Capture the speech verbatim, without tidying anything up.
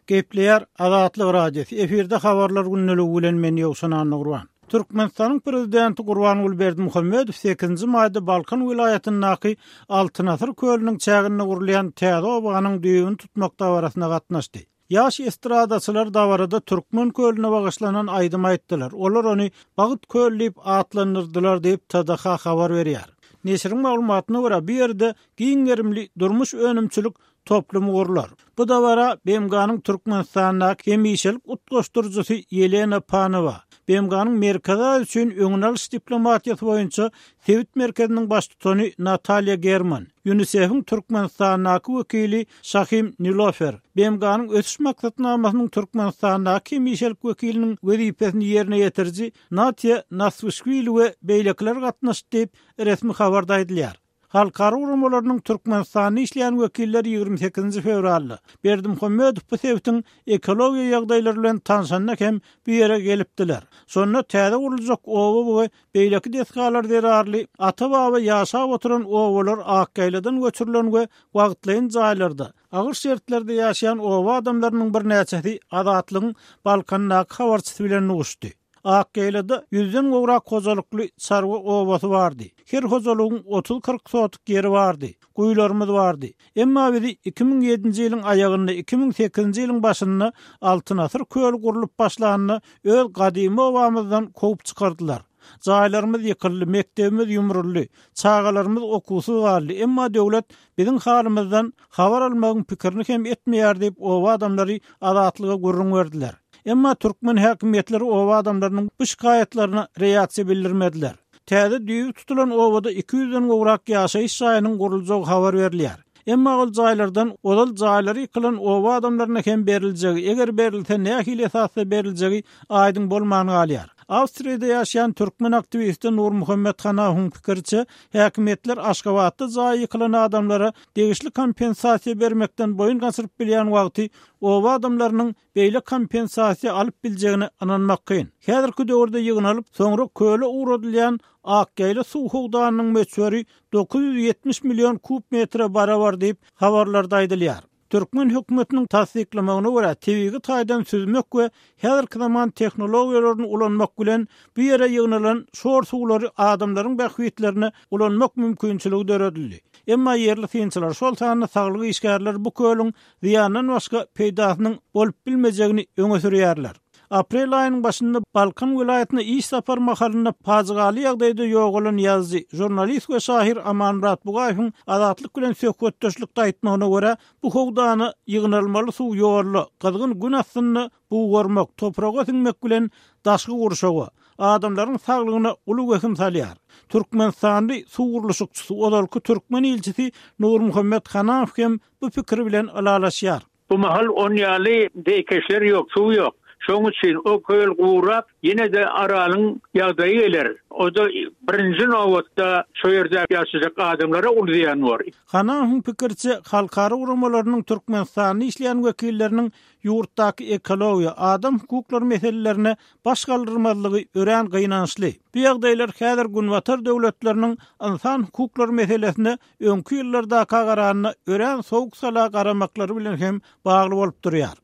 Gepleýär Azatlyk Radiosy. Efirde habarlar gündeligi bilen men Ýowşan Annagurban. Türkmenistanyň prezidenti Gurbanguly Berdimuhamedow sekizinji maýda Balkan welaýatyndaky Altyn asyr kölüniň çäginde gurulýan täze obanyň düýbüni tutmak dabarasyna gatnaşdy. Ýaş estradaçylar dabarada Türkmen kölüne bagyşlanan aýdym aýtdylar. Olar ony Bagt köl diýip atlandyrdylar diýip T D H habar berýär. Neşiriň maglumatyna görä, bu ýerde giň gerimli durmuş önümçilik toplumy gurlar. Bu dabara B M G-nyň Türkmenistandaky hemişelik utgaşdyryjysy Ýelena Panowa, B M G-nyň Merkezi Aziýa üçin öňüni alyş diplomatiýasy boýunça sebit merkeziniň baştutany Natalýa German, UNICEF-iň Türkmenistandaky wekili Şahim Nilofer, B M G-nyň ösüş maksatnamasynyň Türkmenistandaky hemişelik wekiliniň wezipesini ýerine ýetiriji Natiýa Naswişwili we beýlekiler gatnaşdy diýip resmi habarda aýdylýar. Halkara guramalarynyň Türkmenistanda işleýän wekilleri ýigrimi sekizinji fewralda Berdimuhamedow bu sebitiň ekologiýa ýagdaýlary bilen tanşanda hem bu ýere gelipdiler. Şonda täze guruljak oba we beýleki desgalar zerarly ata-baba ýaşap oturan obalar Akgaýladan göçürilen we wagtlaýyn jaýlarda agyr şertlerde ýaşaýan oba adamlarynyň birnäçesi Azatlygyň Balkandaky habarçysy bilen duşdy. Akgaýlada ýüzden gowrak hojalykly çarwa obasy bardy. Her hojalygyň otuz kyrk sotuk ýeri bardy. Guýularymyz bardy. Emma bizi iki müň ýedinji ýylyň aýagynda, iki müň sekizinji ýylyň başynda Altyn asyr köli gurlup başlanda öz gadymy obamyzdan kowup çykardylar. Jaýlarymyz ýykyldy, mekdebimiz ýumruldy, çagalarymyz okuwsyz galdy. Emma döwlet biziň halymyzdan habar almagyň pikirini hem etmeýär diýip oba adamlary Azatlyga gürrüň berdiler. Emma türkmen häkimiýetleri oba adamlarynyň bu şikaýatlaryna reaksiýa bildirmediler. Täze düýbi tutulan obada iki ýüzden gowrak ýaşaýyş jaýynyň guruljagy habar berilýär. Emma ol jaýlardan ozal jaýlary ýykylan oba adamlaryna hem beriljegi, eger berilse nähili esasda beriljegi aýdyň bolman galýar. Awstriýada ýaşaýan türkmen aktiwisti Nurmuhammet Hanawyň pikiriçe, häkimiýetler Aşgabatda jaýy ýykylan adamlara degişli kompensasiýa bermekden boýun gaçyryp bilýän wagty oba adamlarynyň beýle kompensasiýa alyp biljegine ynanmak kyn. Häzirki döwürde ýygnalyp, soňra köle ugradylýan Akgaýla suw howdanynyň möçberi dokuz ýüz ýetmiş million kub metre barabar diýip habarlarda aýdylýar. Türkmen hökümetiniň tassyklamagyna görä, tebigy taýdan süzmek we häzirki zaman tehnologiýalaryny ulanmak bilen bu ýere ýygnalan şor suwlary adamlaryň bähbitlerine ulanmak mümkinçiligi döredildi. Emma ýerli synçylar, şol sanda saglyk işgärleri bu kölüň zyýandan başga peýdasynyň bolup bilmejegini öňe sürýärler. Aprel aýynyň başynda Balkan welaýatyna iş sapar mahalynda pajygaly ýagdaýda ýogalan ýazyjy, žurnalist we şahyr Amanmyrat Bugaýewiň Azatlyk bilen söhbetdeşlikde aýtmagyna görä, bu howdana ýygnalmaly suw ýolla, gyzgyn gün astynda bugarmak, topraga siňmek bilen daşky gurşawa, adamlaryň saglygyna uly wehim salýar. Türkmenistanly suw gurluşykçysy, ozalky türkmen ilçisi Nurmuhammet Hanaw hem bu pikir bilen ylalaşýar. Bu mahal on ýaly zeýkeşler ýok, suw ýok. Şoň üçin o köl gurap, ýene-de Aralyň ýagdaýy geler. O da birinji nobatda şu ýerde ýaşajak adamlara uly zyýan bor. Hanawyň pikiriçe, halkara guramalarynyň Türkmenistanda işleýän wekilleriniň ýurtdaky ekologiýa, adam hukuklary meselelerine baş galdyrmazlygy örän gynançly. Bu ýagdaýlar häzir Günbatar döwletleriniň insan hukuklary meselesine öňki ýyllardaka garanda örän sowuk sala garamaklary bilen hem bagly bolup durýar.